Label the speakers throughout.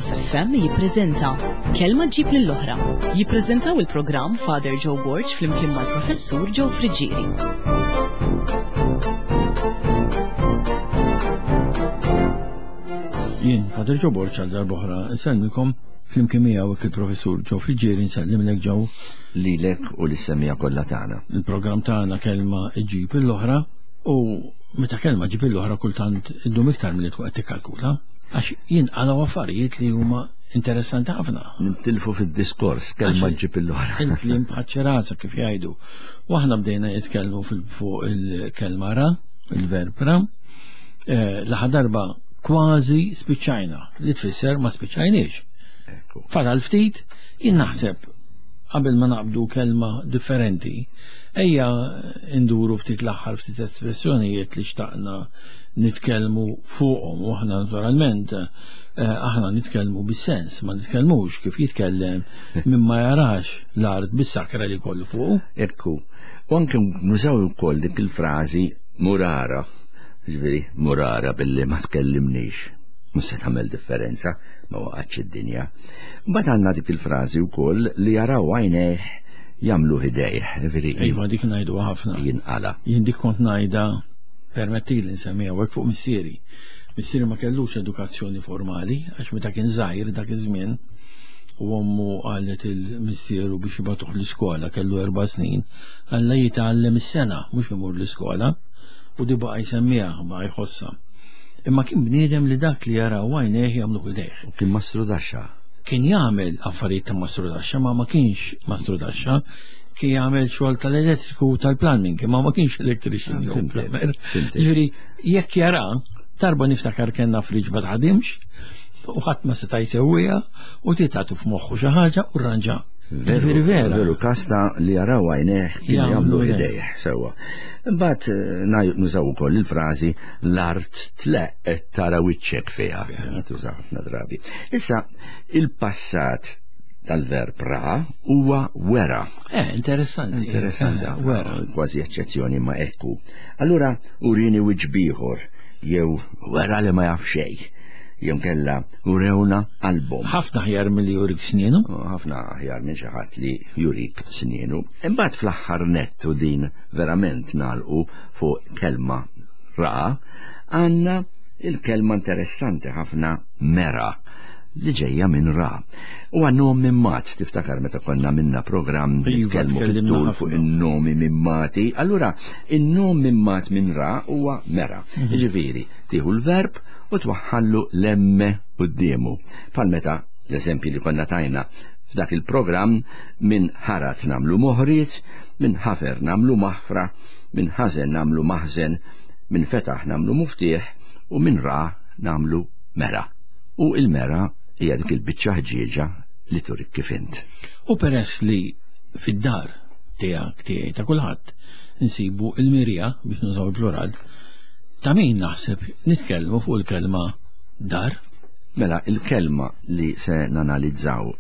Speaker 1: Campus FM jippreżenta Kelma ġġib lill-oħra. Jippreżentaw il-programm Father Joe Borg flimkien mal-Professur Joe Friggieri.
Speaker 2: Jien, Father Joe Borg għal darb'oħra, nsellmilkom flimkien miegħu il-Professur Joe Friggieri nsellimlek Joe.
Speaker 3: Lilek u lis-semmiegħa kollha tagħna.
Speaker 2: Il-programm tagħna Kelma ġġib l-oħra u meta kelma ġib l-oħra kultant iddum iktar milli tkun qed tikkalkula għax jinqalgħu affarijiet li huma interessanti ħafna.
Speaker 3: Nintilfu fid-diskors kelma ġib l-oħra.
Speaker 2: Il-kliem bħaċ-ċirasa kif jgħidu. U aħna bdejna jitkellmu fuq il-kelma ra, il-verb ra, eh, l-aħħar darba kważi spiċċajna, li tfisser ma spiċċajniex. Fadal ftit, jien naħseb qabel ma naqbdu kelma differenti, ejja nduru ftit l-aħħar ftit espressjonijiet li xtaqna nitkellmu fuqhom u aħna naturalment eh, aħna nitkellmu bis-sens, ma nitkellmux kif jitkellem minn ma jarax l-art bis-sakra li kollu fuq.
Speaker 3: Ekku, u anke nużaw ukoll dik il-frażi murara, ġifieri murara billi ma tkellimnix. Mhux se tagħmel differenza, ma waqgħetx id-dinja. Mbagħad għandna dik il-frażi wkoll li jaraw għajnejh jagħmlu ħidejh. Ġifieri
Speaker 2: Iva dik ngħidu ħafna.
Speaker 3: Jinqala.
Speaker 2: Jien dik kont ngħidha permettili nsemmiha hekk fuq missieri. Missieri ma kellux edukazzjoni formali għax meta kien żgħir dak iż-żmien u ommu qalet il-missieru biex jibgħatuh l-iskola kellu erba' snin, alla jitgħallem is-sena mhux imur l-iskola u di baqa' jsemmiha, baqa' jħossha. Imma kien bniedem li dak li jaraw għajnejh jagħmluh idejh.
Speaker 3: U kien mastrudaxxa.
Speaker 2: Kien jagħmel affarijiet ta' mastrudaxxa, ma ma kienx mastrudaxxa, kien jagħmel xogħol tal-elettriku u tal-plumbing, imma ma kienx electrician jew plumber. Ġifieri jekk jara, darba niftakar kellna friġ ma taħdimx, u ħadd ma seta' jsewwiha u titgħatu f'moħħu xi ħaġa u rranġa.
Speaker 3: Veru, vera. Veru, kasta li jaraw għajnejh jagħmlu idejh sewwa. Imbagħad eh, nużaw ukoll il-frażi l-art tleq tara wiċċek fiha. Tuża ħafna drabi. Issa il-passat tal-verb ra huwa wera.
Speaker 2: Eh, interessanti.
Speaker 3: Interessanti.
Speaker 2: Eh, wera.
Speaker 3: Kważi eċċezzjoni ma ekku. Allura urini wiċċ bieħor jew wera li ma jaf xejn jew kella urewna qalbhom.
Speaker 2: Ħafna aħjar milli jurik snienu.
Speaker 3: Ħafna aħjar minn xi ħadd li jurik snienu. Imbagħad fl-aħħar nett u din verament nagħlqu fuq kelma ra, għandna il-kelma interessanti ħafna mera li ġejja minn ra. U għan-nom mimmat, tiftakar meta konna minna programm
Speaker 2: Iva,
Speaker 3: nitkellmu
Speaker 2: tkellimna
Speaker 3: fit-tul
Speaker 2: ħafna.
Speaker 3: fuq in-nomi mimmati. Allura, in-nom mimmat minn ra huwa mera. Jiġifieri, tieħu l-verb u twaħħallu l-emme quddiemu. Bħal meta l-eżempji li konna tajna f'dak il-programm minn ħarat nagħmlu moħriet, minn ħafer nagħmlu maħfra, minn ħażen nagħmlu maħżen, minn fetaħ nagħmlu muftieħ u minn ra nagħmlu mera. U il-mera hija dik il-biċċa ħġieġa li turik kif int.
Speaker 2: U peress li fid-dar tiegħek tiegħi ta' kulħadd insibu il-mirja biex nużaw il-plural, ta' min naħseb nitkellmu fuq il-kelma dar.
Speaker 3: Mela, il-kelma li se nanalizzaw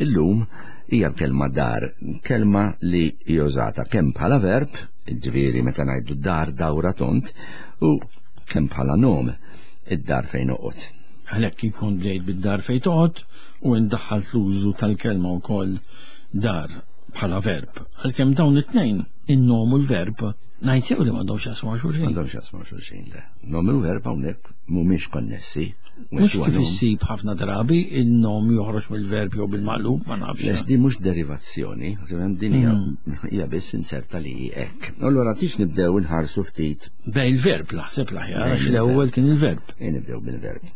Speaker 3: illum hija l-kelma dar, kelma li hija użata kemm bħala verb, ġifieri meta ngħidu dar dawra tont, u kemm bħala nom, id-dar fejn noqgħod.
Speaker 2: Għalhekk ikun bdejt bid-dar fejn toqgħod u indaħħalt l-użu tal-kelma wkoll dar bħala verb. Għalkemm dawn it-tnejn, in-nom u l-verb, ngħid sew li m'għandhomx jaqsmu ma' xulxin.
Speaker 3: M'għandhomx jaqsmu ma' xulxin, le. Nom u verb hawnhekk mhumiex konnessi.
Speaker 2: Mhux kif issib ħafna drabi in-nom joħroġ mill-verb jew bil-maqlub, ma nafx.
Speaker 3: Le, di mhux derivazzjoni, din hija biss inserta li hi hekk. Allura tix nibdew inħarsu ftit.
Speaker 2: Bej il-verb naħseb l-aħjar, għax l-ewwel kien il-verb.
Speaker 3: Ej nibdew bil-verb.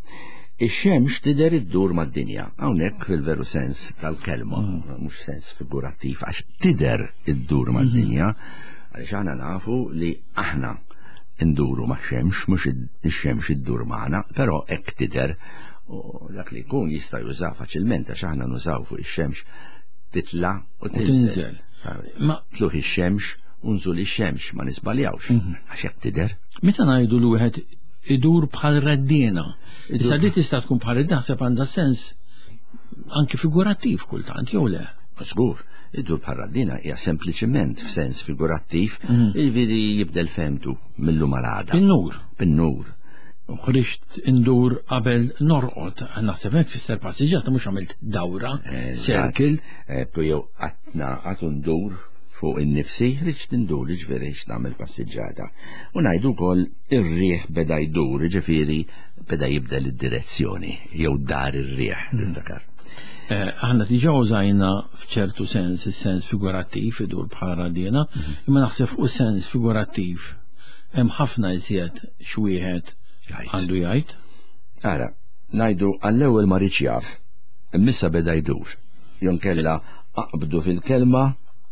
Speaker 3: Ix-xemx tidher iddur mad-dinja, hawnhekk fil-veru sens tal-kelma, mhux sens figurattiv, għax tidher iddur mad-dinja, għaliex aħna nafu li aħna nduru ma' xemx, mhux ix-xemx iddur magħna, però hekk tidher u dak li jkun jista' juża faċilment għax aħna nużaw fuq ix-xemx titla' u tinżel.
Speaker 2: Ma
Speaker 3: tluħ ix-xemx u nżul ix-xemx ma nisbaljawx għax hekk tidher.
Speaker 2: Meta ngħidu li wieħed idur bħal reddiena. Issa di tista' tkun bħal reddiena naħseb għandha sens anki figurattiv kultant jew le?
Speaker 3: Żgur, idur bħal raddina hija sempliċiment f'sens figurattiv, jiġifieri jibdel fehmtu mill-lum għal għada.
Speaker 2: Bin-nur.
Speaker 3: Bin-nur.
Speaker 2: Ħriġt indur qabel norqod. Naħseb hekk tfisser passiġġata mhux għamilt dawra, circle.
Speaker 3: Ekku jew qatt naqgħad u ndur fuq innifsi, ħriġt indur, jiġifieri ħriġt nagħmel passiġġata. U ngħidu wkoll ir-riħ beda jdur, jiġifieri beda jibdel id-direzzjoni jew dar ir-riħ, niftakar.
Speaker 2: Aħna diġà użajna f'ċertu sens is-sens figurattiv idur bħala radiena, imma naħseb fuq sens figurattiv hemm ħafna iżjed x'wieħed għandu jgħid.
Speaker 3: Ara, ngħidu għall-ewwel ma riedx jaf, imma issa beda jdur. Jew inkella aqbdu fil-kelma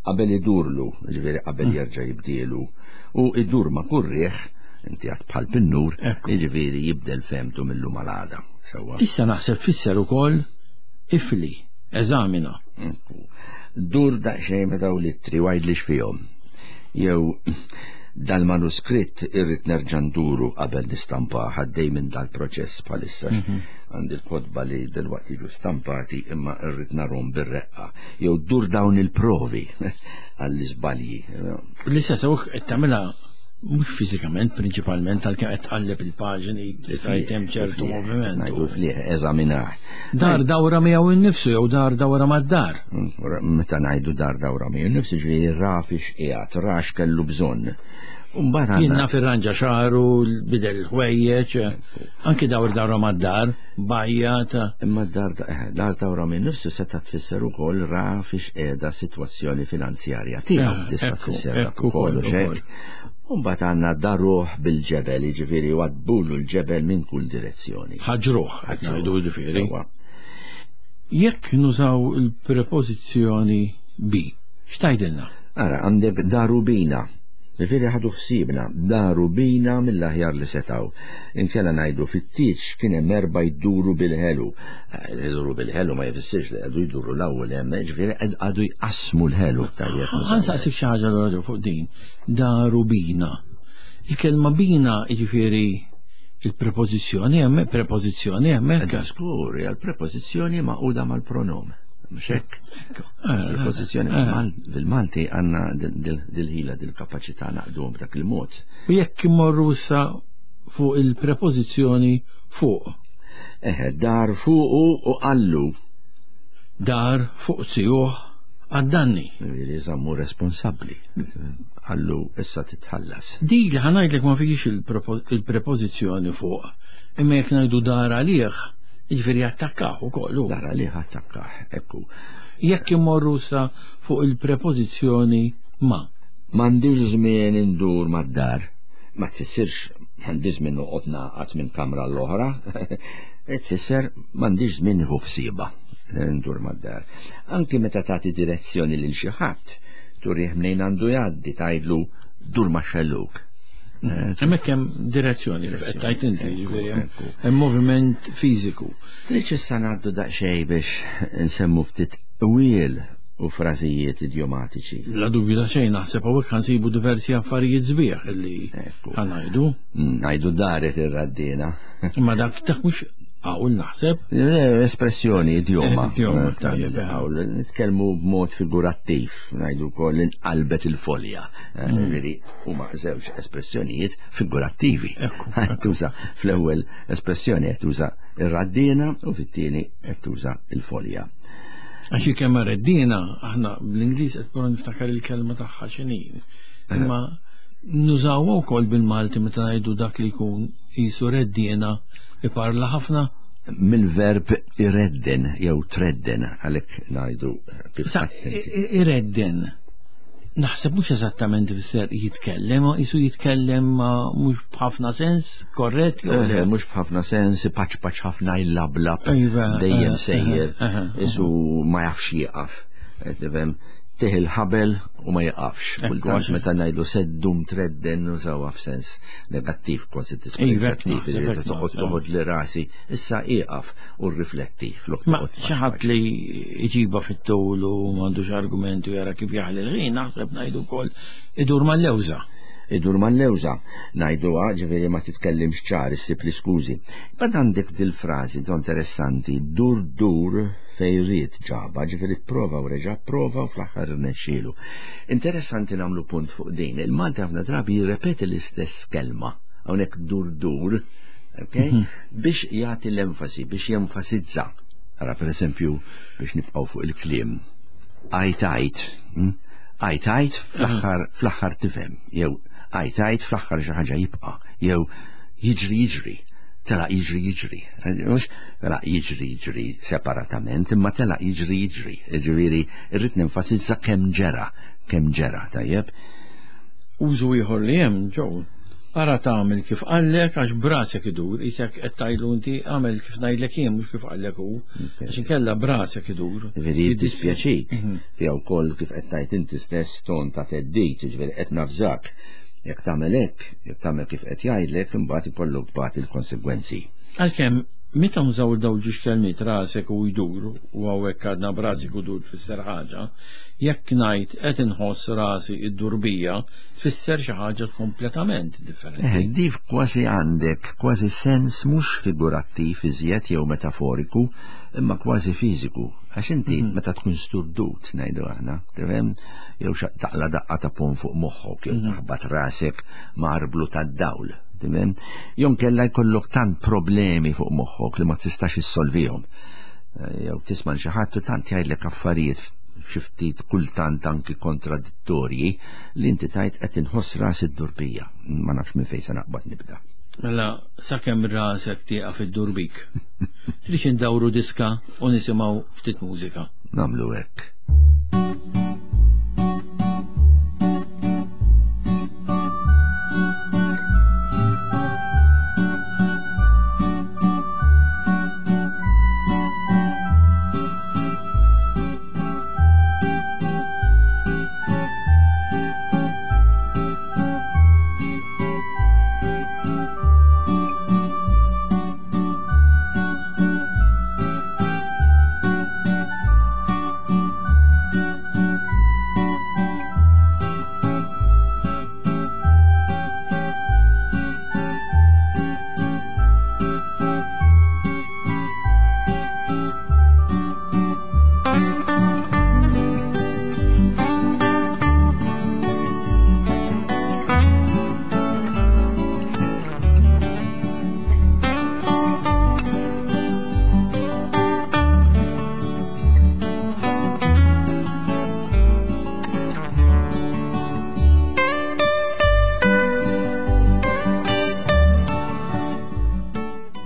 Speaker 3: qabel idurlu, jiġifieri qabel jerġa' jibdielu. U idur ma' kull riħ, inti għad bħal pinnur, jiġifieri jibdel fehmtu mil-lum għal għada. Sewwa.
Speaker 2: Tista' naħseb tfisser ukoll ifli, eżamina.
Speaker 3: Dur daqsxejn ma' dawn l-ittri u għidli x'fihom. Jew dal-manuskritt irrid nerġa' nduru qabel nistampah, għaddej minn dal-proċess bħalissa. Għandi l-kotba li delwaqt jiġu stampati imma rrid narhom bir-reqqa. Jew dur dawn il-provi għall-iżbalji.
Speaker 2: L-istess hawnhekk qed tagħmilha mhux fiżikament prinċipalment għalkemm qed tqalleb il-paġni tista' hemm ċertu moviment.
Speaker 3: Ngħidu flieħ eżaminah.
Speaker 2: Dar dawra miegħu innifsu jew dar dawra mad-dar.
Speaker 3: Meta ngħidu dar dawra miegħu innifsu ġifieri ra fiex qiegħed, ra x'kellu bżonn.
Speaker 2: Mbagħad Jien naf irranġa xagħru, bidel il-ħwejjeġ, anki dawr dawra mad-dar, bajjat.
Speaker 3: Imma dar dar dawra minn nifsu seta' tfisser ukoll ra fiex qiegħda sitwazzjoni finanzjarja tiegħu tista' tfisser dak ukoll u xejn. Mbagħad għandna daruh bil-ġebel, jiġifieri waddbulu l-ġebel minn kull direzzjoni.
Speaker 2: Ħaġruh, qed ngħidu jiġifieri. Jekk nużaw il-prepożizzjoni bi, x'tgħidilna?
Speaker 3: Ara, għandek daru bina. Ġifieri ħadu ħsiebna, daru bina mill-aħjar li setgħu. Inkella ngħidu fit-tieġ kien hemm erbgħa jduru bil-ħelu. Iduru bil-ħelu ma jfissirx li qegħdu jduru l-ewwel hemm, ġifieri qegħdu jqassmu l-ħelu tajjeb.
Speaker 2: Ħa nsaqsik xi ħaġa allura fuq din. Daru bina. Il-kelma bina jiġifieri il-prepożizzjoni hemm, prepożizzjoni hemmhekk.
Speaker 3: Żgur, hija l-prepożizzjoni magħquda mal-pronom. Mhux hekk? Prepożizzjoni bil-Malti għandna dil-ħila, dil-kapaċità naqduhom b'dak il-mod.
Speaker 2: U jekk immorru issa fuq il-prepożizzjoni fuq.
Speaker 3: Eħe, dar fuqu u qallu.
Speaker 2: Dar fuq zijuh għad-danni.
Speaker 3: Jiġifieri żammu responsabbli. Qallu issa titħallas.
Speaker 2: Di li ħa ngħidlek ma fihiex il-prepożizzjoni fuq. Imma jekk ngħidu dar għalih, jiġifieri attakkah ukoll hu.
Speaker 3: Dar għalih attakkah, ekku.
Speaker 2: Jekk immorru sa fuq il-prepożizzjoni ma.
Speaker 3: M'għandix żmien indur mad-dar. Ma tfissirx m'għandix żmien noqgħod nagħqad minn kamra l-oħra. Tfisser m'għandix żmien nieħu ħsiebha ndur mad-dar. Anki meta tagħti direzzjoni lil xi ħadd, turih mnejn għandu jgħaddi tgħidlu dur ma' xellug.
Speaker 2: Hemmhekk hemm direzzjoni kif qed tgħid inti, jiġifieri hemm moviment fiżiku.
Speaker 3: Tridx issa ngħaddu daqsxejn biex nsemmu ftit qwiel u frażijiet idjomatiċi.
Speaker 2: Bla dubju ta' xejn naħseb hawnhekk ħa nsibu diversi affarijiet sbieħ illi ħa ngħidu.
Speaker 3: Ngħidu daret ir-raddiena.
Speaker 2: Imma dak dak mhux Qawl naħseb.
Speaker 3: Espressjoni, idjoma.
Speaker 2: Idjoma, tajjeb.
Speaker 3: Qawl, nitkellmu b'mod figurattiv, ngħidu wkoll inqalbet il-folja. Ġifieri huma żewġ espressjonijiet figurattivi. Tuża fl-ewwel espressjoni qed tuża ir-raddiena u fit-tieni qed tuża il-folja.
Speaker 2: Għax il-kelma reddiena, aħna bl-Ingliż qed prova niftakar il-kelma tagħha x'inhi. Imma nużawha wkoll bil-Malti meta ngħidu dak li jkun qisu reddiena Iparla ħafna?
Speaker 3: Mill-verb iredden jew tredden għalhekk ngħidu
Speaker 2: kif Iredden. Naħseb mhux eżattament ifisser jitkellem, qisu jitkellem mhux b'ħafna sens, korrett jew
Speaker 3: le? Mhux b'ħafna sens, ipaċpaċ ħafna jlablab, iva, dejjem eh, sejjer, eh, eh, qisu ma jafx jieqaf. Tifhem, tih il-ħabel u ma jiqafx. Kultant meta ngħidu seddum tredden nużawha f'sens negattiv kważi dispreġjattiv, li toqgħod toħod li rasi, issa ieqaf u rrifletti
Speaker 2: flok. Ma xi ħadd li jġibha fit-tul u m'għandux argument u jara kif jaħli l-ħin, naħseb ngħidu wkoll idur mal-lewża.
Speaker 3: Idur mal-lewża, ngħiduha ġifieri ma titkellimx ċar issib l-iskużi. Bad għandek dil-frażi interessanti, dur dur fejn ried ġabha, ġifieri pprova u reġa' pprova u fl-aħħar irnexxielu. Interessanti nagħmlu punt fuq din. Il-Malti ħafna drabi jirrepeti l-istess kelma. Hawnhekk dur dur, Okay? Biex jagħti l-enfasi, biex jenfasizza. Ara per eżempju, biex nibqgħu fuq il-kliem. Għajt għajt, għajt għajt fl-aħħar fl-aħħar tifhem, jew għajt għajt fl-aħħar xi ħaġa jibqa', jew jiġri jiġri, telaq jiġri jiġri. Mhux telaq jiġri jiġri separatament, imma telaq jiġri jiġri. Ġifieri irrid nenfasizza kemm ġera, kemm ġera, tajjeb.
Speaker 2: Użu ieħor li hemm ġew. Ara tagħmel kif qallek għax brasek idur, isek qed tgħidlu inti għamel kif ngħidlek jien mhux kif qallek hu, għax inkella brasek idur.
Speaker 3: Ġifieri jiddispjaċik fiha wkoll kif qed tgħid inti stess ton ta' theddid, ġifieri qed nafżak. Jekk tagħmel hekk, jekk tagħmel kif qed jgħidlek, imbagħad ikollok tbati l-konsegwenzi.
Speaker 2: Għalkemm meta nżaw daw ġiex kelmiet rasek u jdur, u hawnhekk għadna b'rasek u dur tfisser ħaġa, jekk ngħid qed inħoss rasi iddur bija, tfisser xi ħaġa kompletament differenti.
Speaker 3: Dif kważi għandek kważi sens mhux figurattiv iżjed jew metaforiku, imma kważi fiżiku. Għax inti meta tkun sturdut, ngħidu aħna, tifhem, jew taqla daqqa ta' pon fuq moħħok, jew taħbat rasek ma' arblu tad-dawl, tifhem? Jew inkella jkollok tant problemi fuq moħħok li ma tistax issolvihom. Jew tisma' xi ħadd u tant jgħidlek affarijiet xi ftit kultant anki kontradittorji li inti tgħid qed inħoss rasi ddur bija. Ma nafx minn fejn se naqbad nibda.
Speaker 2: Mela sakemm rasek tieqaf iddur bik. Tridx indawru diska u nisimgħu ftit mużika.
Speaker 3: Nagħmlu hekk.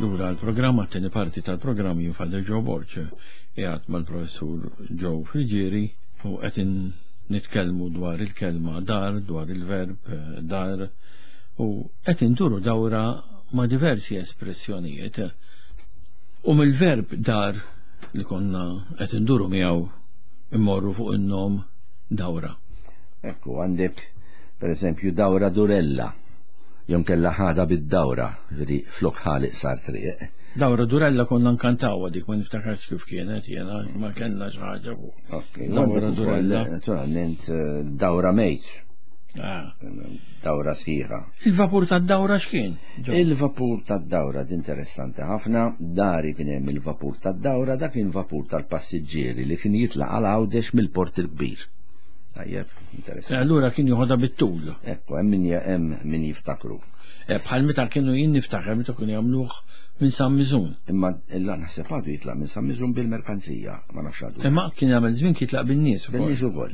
Speaker 2: Lura l-programm, għat-tieni parti tal-programm jien Father Joe Borg, qiegħed mal-professur Joe Friggieri u qed nitkellmu dwar il-kelma dar, dwar il-verb dar, u qed induru dawra ma' diversi espressjonijiet. U mill-verb dar li konna qed induru miegħu immorru fuq in-nom dawra.
Speaker 3: Ekku, għandek per eżempju dawra durella, jew kella ħada bid-dawra, ġifieri flok ħaliq sar triq.
Speaker 2: Dawra durella konna nkantawha dik, ma niftakarx kif kienet jiena, ma kellna xi ħaġa fuq.
Speaker 3: Ok,
Speaker 2: Dawra
Speaker 3: għandek ukoll,
Speaker 2: durella.
Speaker 3: Naturalment, dawra mejt. Dawra sħiħa.
Speaker 2: Il-vapur tad-dawra x'kien?
Speaker 3: Il-vapur tad-dawra, di interessanti ħafna. Dari kien hemm il-vapur tad-dawra, dak kien vapur tal-passiġġieri li kien jitlaq għal Għawdex mill-Port il-Kbir. Tajjeb, interessanti.
Speaker 2: Allura kien joħodha bit-tul.
Speaker 3: Ekku, hemm min jiftakru.
Speaker 2: Bħal meta kienu jien niftakar meta kienu jagħmluh minn San Miżun.
Speaker 3: Imma illa naħseb għadu jitlaq minn San Miżun bil-merkanzija, ma nafx għadu.
Speaker 2: Imma kien jagħmel żmien kien jitlaq bin-nies ukoll.
Speaker 3: Bin-nies ukoll.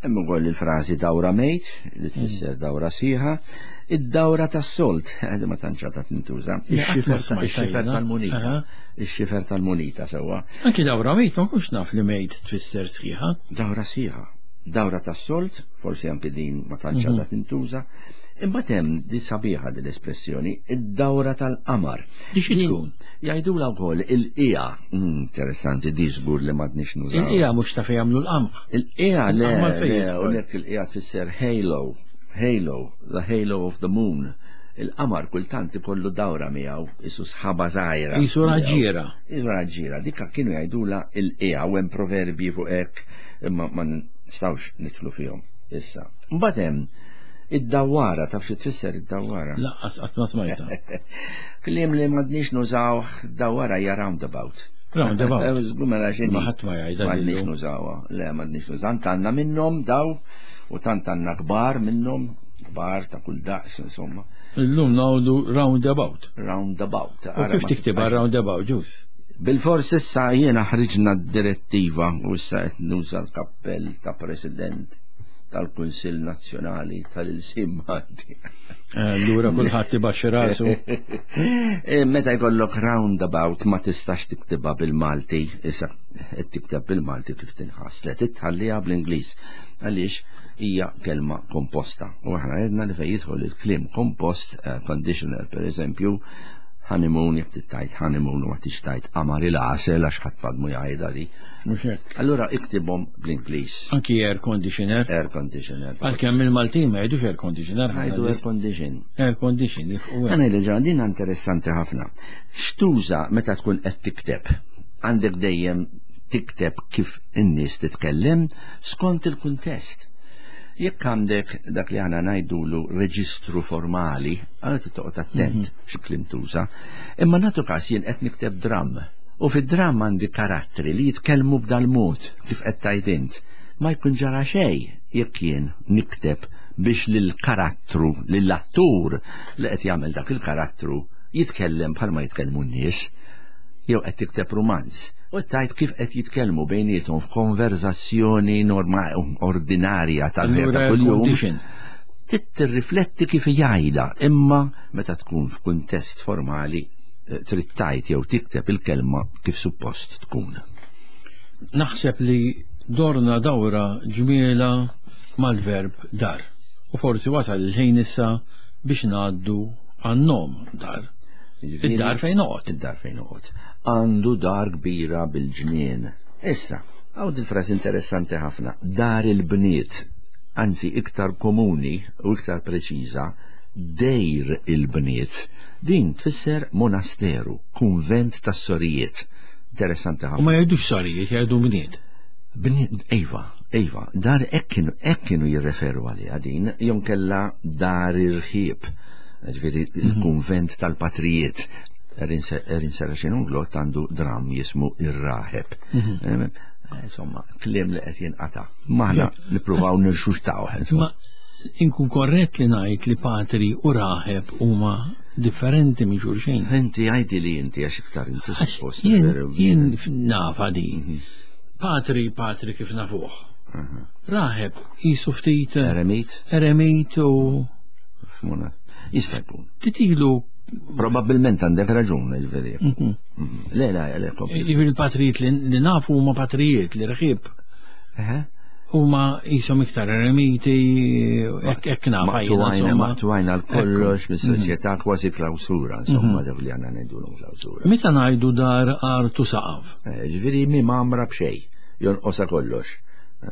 Speaker 3: Hemm ukoll il-frażi dawra mejt, li tfisser dawra sħiħa, id-dawra tas-solt, għadi ma tantx għadha tintuża,
Speaker 2: Le, qatt ma smajtha
Speaker 3: ix-xifer
Speaker 2: jiena.
Speaker 3: tal-munita.
Speaker 2: Aha.
Speaker 3: Ix-xifer tal-munita sewwa.
Speaker 2: Anki dawra mejt ma nkunx naf li mejt tfisser sħiħa.
Speaker 3: Dawra sħiħa. Dawra tas-solt, forsi anki din ma tantx għadha tintuża. Imbagħad hemm di sabiħa din l-espressjoni, id-dawra tal-qamar.
Speaker 2: Di xi
Speaker 3: Din
Speaker 2: tkun?
Speaker 3: Jgħidulha wkoll il-qiegħa. Interessanti, di żgur li m'għadniex nużaw.
Speaker 2: Il-qiegħa mhux ta' fejn jagħmlu l-qamħ.
Speaker 3: Il-qiegħa le,
Speaker 2: Il-qamar fejn
Speaker 3: le,
Speaker 2: jidħol?
Speaker 3: u lek il-qiegħa tfisser halo, halo, the halo of the moon. Il-qamar kultant ikollu dawra miegħu, isu sħaba żgħira.
Speaker 2: Isu raġġiera.
Speaker 3: Isu raġġiera, dik kienu jgħidulha il-qiegħa u hemm proverbji fuq hekk, imma ma nistgħux nidħlu fihom issa. Mbagħad hemm id-dawwara, taf xi tfisser id-dawwara?
Speaker 2: Laqqas qatt ma smajtha.
Speaker 3: Kliem li m'għadniex nużawh, dawwara hija roundabout.
Speaker 2: Roundabout.
Speaker 3: Żgur mela x'inhi.
Speaker 2: Ma ħadd ma jgħidha
Speaker 3: M'għadniex
Speaker 2: lillu.
Speaker 3: nużawha. Le, m'għadniex nużawha. Tant għandna minnhom daw u tant għandna kbar minnhom, kbar ta' kull daqs, insomma.
Speaker 2: Illum ngħidu roundabout.
Speaker 3: Roundabout.
Speaker 2: U kif tiktibha roundabout, ġus?
Speaker 3: Bil-fors issa jiena ħriġna d-direttiva u issa qed nuża l-kappell ta' President tal-Kunsill Nazzjonali tal-Ilsien Malti.
Speaker 2: Allura kulħadd ibaxxi rasu.
Speaker 3: Meta jkollok roundabout ma tistax tiktibha bil-Malti, issa qed tikteb bil-Malti kif tinħass, le titħalliha bl-Ingliż għaliex hija kelma komposta. U aħna għedna li fejn jidħol il-kliem kompost, conditioner per eżempju, honeymoon, jekk tittajt honeymoon u ma tix tajt qamar il-għasel għax ħadd m'għadmu jgħidha di.
Speaker 2: Mhux hekk.
Speaker 3: Allura iktibhom bl-Ingliż.
Speaker 2: Anki air conditioner.
Speaker 3: Air conditioner.
Speaker 2: Għalkemm il-Maltin ma jgħidux air conditioner.
Speaker 3: Jgħidu air condition.
Speaker 2: Air condition, jifqu hekk.
Speaker 3: Għana li din interessanti ħafna. X'tuża meta tkun qed tikteb? Għandek dejjem tikteb kif in-nies titkellem skont il-kuntest. Jekk għandek dak li aħna ngħidulu reġistru formali, għandek toqgħod attent xi kliem tuża. Imma nagħtu każ jien qed nikteb dramm. U fid-dramm għandi karattri li jitkellmu b'dal-mod kif qed tgħid int. Ma jkun ġara xejn jekk jien nikteb biex lill-karattru, lill-attur li qed jagħmel dak il-karattru jitkellem bħalma jitkellmu n-nies. Jew qed tikteb romanz. U tgħid kif qed jitkellmu bejniethom f'konverzazzjoni normali, ordinarja tal-ħajja ta'
Speaker 2: Allura air
Speaker 3: kuljum.
Speaker 2: condition.
Speaker 3: Tirrifletti kif jgħidha, imma meta tkun f'kuntest formali trid tgħid jew tikteb il-kelma kif suppost tkun.
Speaker 2: Naħseb li dorna dawra ġmiela mal-verb dar. U forsi wasal il-ħin issa biex ngħaddu għan-nom dar. Id-dar fejn noqgħod.
Speaker 3: Id-dar fejn noqgħod. Għandu dar kbira bil-ġnien. Issa, hawn dil-frażi interessanti ħafna. Dar il-bniet, anzi iktar komuni u iktar preċiża, dejr il-bniet. Din tfisser monasteru, kunvent tas-sorijiet. Interessanti ħafna.
Speaker 2: U ma jgħidux sorijiet, jgħidu bniet.
Speaker 3: Bniet, ejva, ejva, dar hekk kienu jirreferu għaliha din, jew kellha dar irħieb. Ġifieri il-kunvent tal-patrijiet. Erin Saracen Unglot għandu dram jismu Ir-Raħeb. Insomma, kliem li qed jinqata'. Ma aħna nippruvaw nirxuxtaw.
Speaker 2: Ma inkun korrett li ngħid li patri u raħeb huma differenti minn xulxin.
Speaker 3: Inti għajdi li inti għax iktar inti
Speaker 2: Għax
Speaker 3: suppost veru.
Speaker 2: jien nafa din. Patri, patri kif nafuh. Raħeb jisu ftit
Speaker 3: Eremit?
Speaker 2: Eremit u
Speaker 3: F'muna. Jista' jkun.
Speaker 2: Titilu.
Speaker 3: Probabilment għandek raġun, il-veri. Le, le, le, kompli.
Speaker 2: Jiġifieri il-patrijiet li nafu huma patrijiet li rħib. Huma jisom iktar eremiti, hekk nafa jiena, insomma.
Speaker 3: Maqtuajna l-kollox mis-soċjetà kważi klawsura, insomma, dak li għandna ngħidulhom klawsura.
Speaker 2: Meta ngħidu dar artu saqaf?
Speaker 3: Ġifieri mi mamra b'xejn, jonqosha kollox.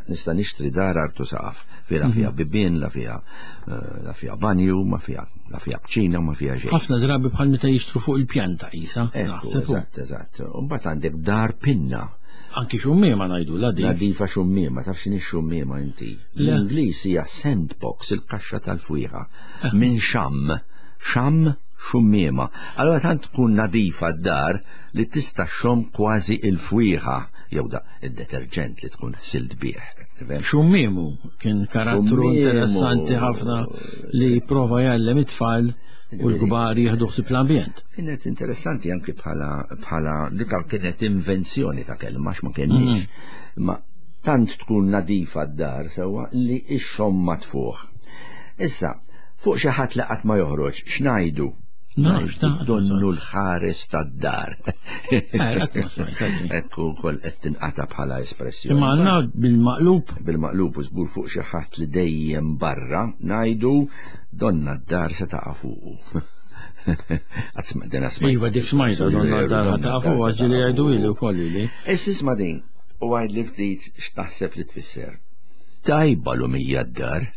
Speaker 3: Nista' nixtri dar artu saqaf, fi la fiha bibien, la fiha banju, ma fiha, la fiha kċina, ma fiha xejn.
Speaker 2: Ħafna drabi bħal meta jixtru fuq il-pjanta qisha,
Speaker 3: Ekku,
Speaker 2: naħseb hu.
Speaker 3: Eżatt, eżatt. U mbagħad għandek dar pinna.
Speaker 2: Anki xummiema ngħidu la dik.
Speaker 3: Nadifa xummiema, taf x'inhi xummiema inti?
Speaker 2: Le.
Speaker 3: L-Ingliż hija sandbox, il-kaxxa tal-fwieħa. Minn xam, xam xummiema. Allora tant tkun nadifa d-dar li tista' xom kważi il-fwieħa jew da id-deterġent li tkun ħsilt bih. Tifhem?
Speaker 2: Xummiemu kien karattru
Speaker 3: Xummiemu.
Speaker 2: interessanti ħafna li prova jgħallem it-tfal u l-kbar jieħdu ħsieb l-ambjent.
Speaker 3: Kienet interessanti anki bħala dik kienet invenzjoni ta' kelma għax ma kenniex. Ma tant tkun nadifa d-dar sewwa li x-xomma ma tfuħ. Issa, fuq xi ħadd li qatt ma joħroġ, x'ngħidu?
Speaker 2: Nafx, ta'
Speaker 3: Donnu l-ħares tad-dar.
Speaker 2: Qatt ma smajt, għadni.
Speaker 3: Ekku wkoll qed tinqata' bħala espressjoni.
Speaker 2: Imma għandna bil-maqlub.
Speaker 3: Bil-maqlub u żgur fuq xi ħadd li dejjem barra ngħidu donna d-dar se taqa' fuqu. Qatt dena smajt.
Speaker 2: Iva, dik smajta, donna d-dar
Speaker 3: Donna
Speaker 2: taqa'
Speaker 3: d-dar
Speaker 2: fuqu,
Speaker 3: se
Speaker 2: għax ġieli
Speaker 3: taqa'
Speaker 2: jgħidu
Speaker 3: fuqu.
Speaker 2: ili wkoll ili.
Speaker 3: Issa isma' din, u għajd li ftit x'taħseb li tfisser. Tajba l-umija d-dar.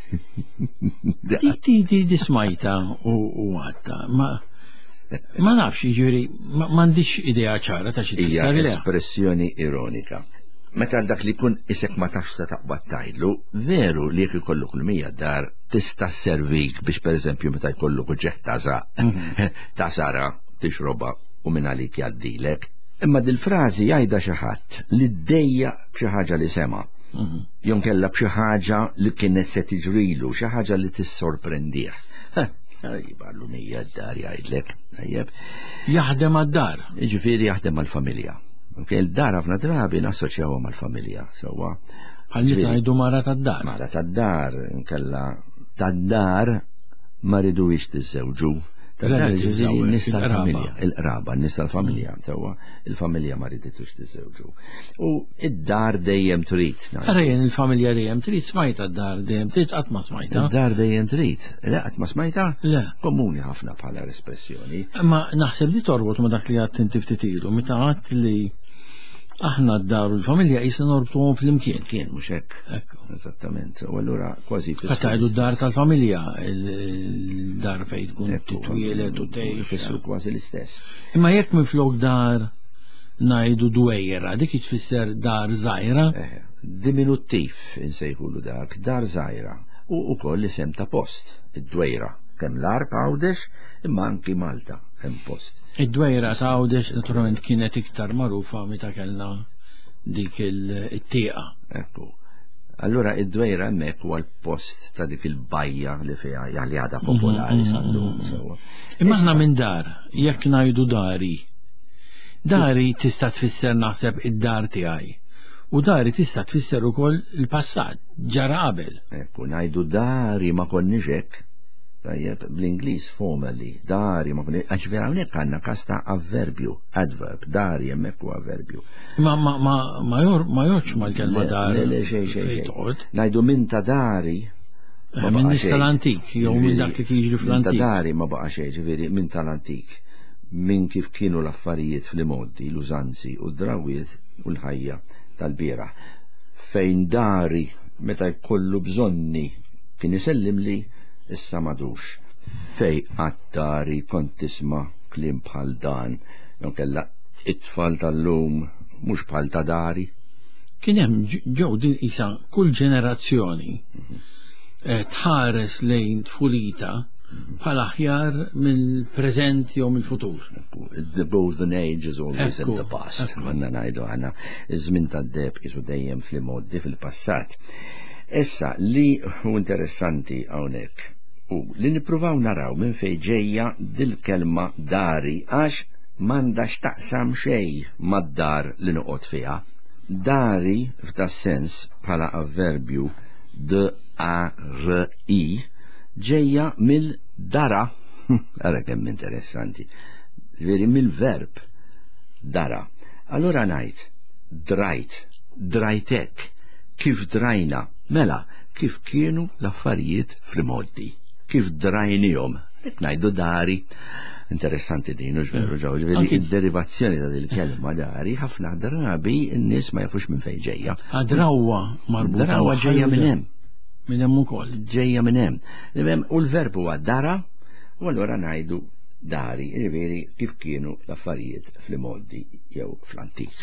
Speaker 2: Di, di, di, di smajta u għatta, ma nafx, jiġifieri, m'għandix idea ċara ta' xi
Speaker 3: Hija
Speaker 2: tfisser le.
Speaker 3: espressjoni ironika. Meta dak li jkun isek ma tafx se taqbad tgħidlu, veru li jekk ikollok l-mija dar tista' servik biex pereżempju meta jkollok uġeħ ta' żaq, ta' sara tixroba u minn għalik jgħaddilek. Imma dil-frażi jgħidha xi ħadd li ddejjaq b'xi ħaġa li sema'. Jew kellha b'xi ħaġa li kienet se tiġrilu, xi ħaġa li tissorprendih. Jibgħallu nija d-dar jgħidlek, tajjeb.
Speaker 2: Jaħdem għad-dar.
Speaker 3: Ġifieri jaħdem mal-familja. Ok, il-dar ħafna drabi nassoċjawha mal-familja, sewwa.
Speaker 2: Bħal meta ngħidu mara tad-dar.
Speaker 3: Mara tad-dar, inkella tad-dar ma ridux tiżżewġu. Tad-dar
Speaker 2: Relatives
Speaker 3: ġifieri
Speaker 2: hawnhekk,
Speaker 3: n-nies
Speaker 2: il-qraba.
Speaker 3: tal-familja, il-qraba, n-nies tal-familja, sewwa, il-familja ma riditux tiżżewġu. U id-dar dejjem trid. ngħidu.
Speaker 2: Ara jien il-familja dejjem trid smajta d-dar dejjem trid qatt ma smajta.
Speaker 3: Id-dar dejjem trid. Le, qatt ma smajta?
Speaker 2: Le.
Speaker 3: Komuni ħafna bħala espressjoni.
Speaker 2: Ma naħseb di torbot ma dak li għadt inti ftit ilu, meta għadt li aħna d-dar u l-familja qisna norbtuhom flimkien.
Speaker 3: Kien mhux hekk.
Speaker 2: Ekku.
Speaker 3: Eżattament. U allura kważi
Speaker 2: Fatt għidu d-dar tal-familja, il-dar fejn tkun titwielet u tgħix.
Speaker 3: Ifissru kważi l-istess.
Speaker 2: Imma jekk minflok dar ngħidu dwejra, dik tfisser dar żgħira,
Speaker 3: Diminuttiv insejħulu dak, dar żgħira. U ukoll isem ta' post, id-dwejra. Kemm l-Għarb Għawdex, imma anki Malta hemm post.
Speaker 2: Id-dwejra ta' Għawdex naturalment kienet iktar magħrufa meta kellna dik il-tieqa.
Speaker 3: Ekku. Allura id-dwejra hemmhekk huwa l-post ta' dik il-bajja li fiha li għadha popolari sal-lum. sewwa.
Speaker 2: Imma aħna minn dar, jekk ngħidu dari, dari tista' tfisser naħseb id-dar tiegħi. U dari tista' tfisser ukoll il-passat, ġara qabel.
Speaker 3: Ekku, ngħidu dari ma konniex hekk. Tajjeb, bl-Ingliż formally, dari ma konniex, għax vera hawnhekk għandna każ ta' avverbju, adverb, dari hemmhekk huwa avverbju.
Speaker 2: Ma ma ma ma jor ma jorx mal-kelma dar.
Speaker 3: Le, le, xejn, xejn,
Speaker 2: fejn
Speaker 3: xejn.
Speaker 2: toqgħod.
Speaker 3: Ngħidu minn ta' dari. ma
Speaker 2: Eh, Minn
Speaker 3: baqa'
Speaker 2: nies
Speaker 3: xejn.
Speaker 2: tal-antik, jew minn
Speaker 3: Ġifieri,
Speaker 2: dak li kien jiġri
Speaker 3: Minn ta'
Speaker 2: fl-antik.
Speaker 3: dari ma baqa' xejn, ġifieri minn tal-antik. Minn kif kienu l-affarijiet fl-imoddi, l-użanzi u d-drawiet u l-ħajja tal-bieraħ. Fejn dari meta jkollu bżonni kien isellim li issa madux. Fej għattari kont tisma' kliem bħal dan, jew kella it-tfal tal-lum mhux bħal ta' dari.
Speaker 2: Kien hemm ġew din isa kull ġenerazzjoni tħares lejn tfulita bħala aħjar mill-preżent jew mill-futur.
Speaker 3: The golden age is always in
Speaker 2: Ekku,
Speaker 3: the past.
Speaker 2: ekku.
Speaker 3: Konna ngħidu aħna iż-żmien tad-deheb qisu dejjem fl-imoddi fil-passat. Issa li hu interessanti hawnhekk u li nippruvaw naraw minn fejn ġejja dil-kelma dari għax m'għandha x'taqsam xejn mad-dar li noqgħod fiha. Dari f'da sens bħala avverbju D A R I ġejja mill-dara. Ara kemm interessanti. Veri mill-verb dara. Allura ngħid drajt, drajtek, kif drajna, mela, kif kienu l-affarijiet fl-imoddi, kif drajnihom. Qed ngħidu dari. Interessanti din, u veru ġew, ġifieri id-derivazzjoni ta' dil-kelma dari ħafna drabi n-nies ma jafux minn fejn ġejja.
Speaker 2: Drawa marbuta.
Speaker 3: Drawa
Speaker 2: magħha
Speaker 3: ġejja
Speaker 2: jew
Speaker 3: minn
Speaker 2: le?
Speaker 3: hemm.
Speaker 2: Minn hemm ukoll.
Speaker 3: Ġejja minn hemm. Hemm, U l-verb huwa dara, u allura ngħidu dari, jiġifieri kif kienu l-affarijiet fl-imoddi jew fl-antik.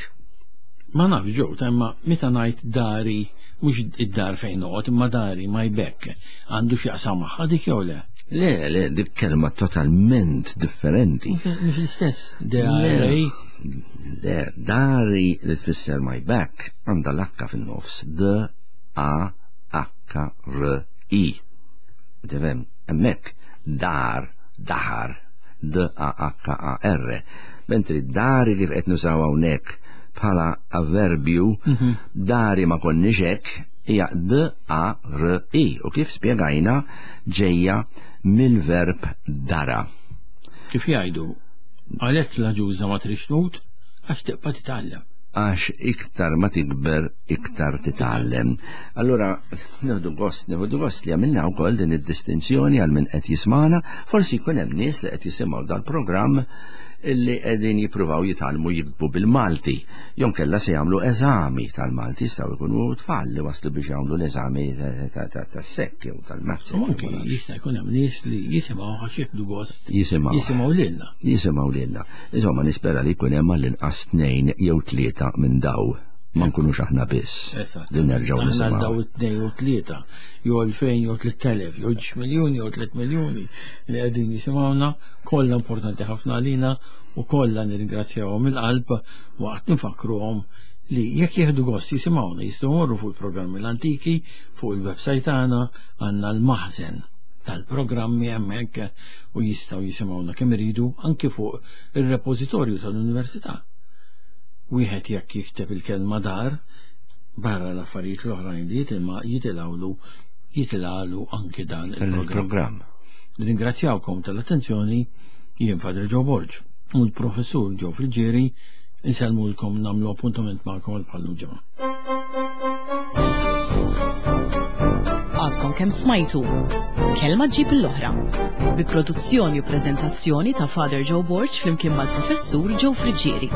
Speaker 2: Ma nafx ġew, ta' imma meta ngħid dari, mhux id-dar fejn noqgħod, imma dari my back, għandu x'jaqsam magħha dik jew le?
Speaker 3: Le, le, dik kelma totalment differenti.
Speaker 2: Mhux l-istess. D A R I.
Speaker 3: Le, dari li tfisser my back għandha l-H fin-nofs. D A H R I. Tifhem, hemmhekk dar, dahar, D A H A R. Mentri dari kif qed nużaw hawnhekk bħala avverbju, dari ma konniex hekk, hija D A R I. U kif spjegajna ġejja mill-verb dara.
Speaker 2: Kif jgħidu, għalhekk l-ġuża ma trix tmut, għax tibqa' titgħallem.
Speaker 3: Għax iktar ma tikber, iktar titgħallem. Allura, nieħdu gost li għamilna wkoll din id-distinzjoni għal min qed jismana, forsi jkun hemm nies li qed jisimgħu dal-programm illi qegħdin jippruvaw jitgħallmu jiktbu bil-Malti. Jew kella se jagħmlu eżami tal-Malti, jistgħu jkunu tfal li waslu biex jagħmlu l-eżami tas-sekk jew tal-maths.
Speaker 2: U anke jista' jkun hemm nies li jisimgħu għax jieħdu gost.
Speaker 3: Jisimgħu.
Speaker 2: Jisimgħu lilna.
Speaker 3: Jisimgħu lilna. Insomma, nispera li jkun hemm għall-inqas 2 jew 3 minn daw. Ma nkunux aħna biss.
Speaker 2: Eżatt.
Speaker 3: Li nerġgħu
Speaker 2: Aħna
Speaker 3: nisimgħu.
Speaker 2: daw it-tnejn u tlieta, jew 2000 jew 3000, jew 2 miljuni jew 3 miljuni li qegħdin jisimgħuna, kollha importanti ħafna għalina u kollha nirringrazzjawhom mill-qalb waqt nfakruhom li jekk jieħdu gost jisimgħuna jistgħu jmorru fuq il-programmi l-antiki, fuq il-website tagħna għandna l-maħżen. tal-programmi hemmhekk u jistgħu jisimgħuna kemm iridu anki fuq ir-repożitorju tal-Università. Wieħed jekk jikteb il-kelma dar barra l-affarijiet l-oħrajn li jitilma jitilgħulu jitilgħalu anki dan il-programm. Ringrazzjawkom tal-attenzjoni jien Father Joe Borg u l-professur Joe Friġieri insellmulkom nagħmlu appuntament magħkom għal bħallu ġimgħa.
Speaker 1: Għadkom kemm smajtu Kelma ġib l-oħra bi produzzjoni u preżentazzjoni ta' Father Joe Borg flimkien mal-professur Joe Friġieri.